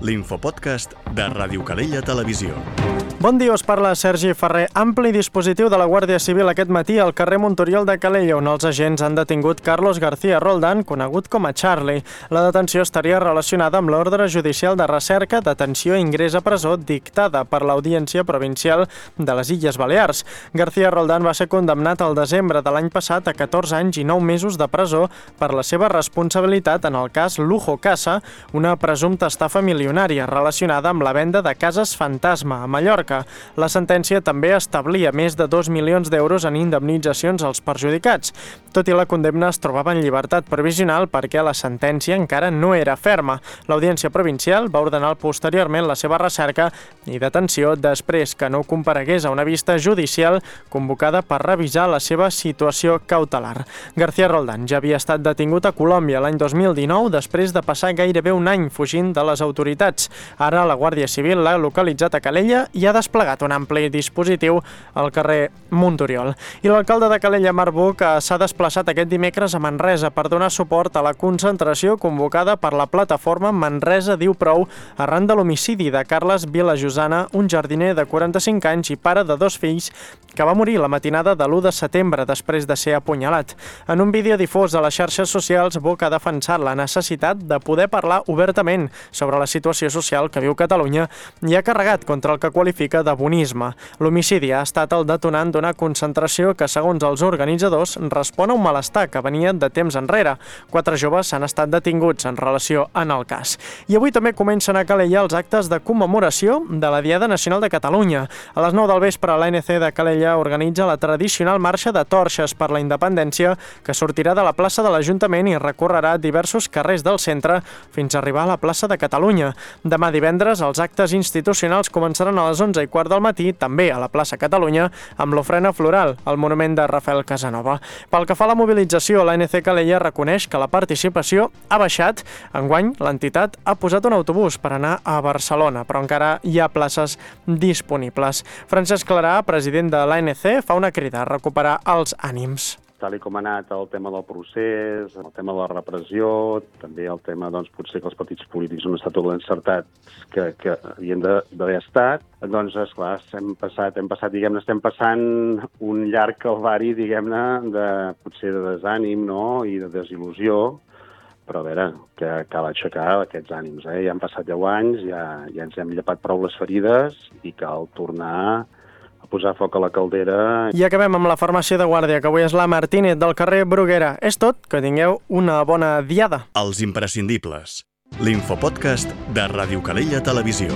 l'infopodcast de Ràdio Calella Televisió. Bon dia, us parla Sergi Ferrer. Ampli dispositiu de la Guàrdia Civil aquest matí al carrer Montoriol de Calella, on els agents han detingut Carlos García Roldán, conegut com a Charlie. La detenció estaria relacionada amb l'ordre judicial de recerca, detenció i ingrés a presó dictada per l'Audiència Provincial de les Illes Balears. García Roldán va ser condemnat al desembre de l'any passat a 14 anys i 9 mesos de presó per la seva responsabilitat en el cas Lujo Casa, una presumpta estafa milionària relacionada amb la venda de cases fantasma a Mallorca. La sentència també establia més de 2 milions d'euros en indemnitzacions als perjudicats. Tot i la condemna, es trobava en llibertat provisional perquè la sentència encara no era ferma. L'Audiència Provincial va ordenar posteriorment la seva recerca i detenció després que no comparegués a una vista judicial convocada per revisar la seva situació cautelar. García Roldán ja havia estat detingut a Colòmbia l'any 2019 després de passar gairebé un any fugint de les autoritats. Ara la Guàrdia Civil l'ha localitzat a Calella i ha desplegat un ampli dispositiu al carrer Montoriol. I l'alcalde de Calella, Marc Buch, s'ha desplaçat aquest dimecres a Manresa per donar suport a la concentració convocada per la plataforma Manresa Diu Prou arran de l'homicidi de Carles Vilajosana, un jardiner de 45 anys i pare de 2 fills, que va morir la matinada de l'1 de setembre després de ser apunyalat. En un vídeo difós a les xarxes socials, Buch ha defensat la necessitat de poder parlar obertament sobre la situació social que viu Catalunya i ha carregat contra el que qualifica de bonisme. L'homicidi ha estat el detonant d'una concentració que, segons els organitzadors, respon a un malestar que venia de temps enrere. 4 joves han estat detinguts en relació en el cas. I avui també comencen a Calella els actes de commemoració de la Diada Nacional de Catalunya. A les 9 del vespre, l'ANC de Calella organitza la tradicional marxa de torxes per la independència que sortirà de la plaça de l'Ajuntament i recorrerà diversos carrers del centre fins a arribar a la plaça de Catalunya. Demà divendres, els actes institucionals començaran a les 11:15 del matí, també a la plaça Catalunya, amb l'ofrena floral, al monument de Rafael Casanova. Pel que fa a la mobilització, l'ANC Calella reconeix que la participació ha baixat. Enguany, l'entitat ha posat un autobús per anar a Barcelona, però encara hi ha places disponibles. Francesc Clarà, president de l'ANC, fa una crida a recuperar els ànims. Tal com ha anat el tema del procés, el tema de la repressió, també el tema, doncs, potser que els partits polítics no han estat tot l'encertats que havien d'haver estat, doncs, esclar, estem passant un llarg calvari, potser de desànim, no?, i de desil·lusió, però a veure, que cal aixecar aquests ànims, Ja han passat 10 anys, ja ens hem llepat prou les ferides i cal tornar a posar foc a la caldera. I acabem amb la farmàcia de guàrdia, que avui és la Martínez del carrer Bruguera. És tot, que tingueu una bona diada. Els imprescindibles. L'infopodcast de Ràdio Calella Televisió.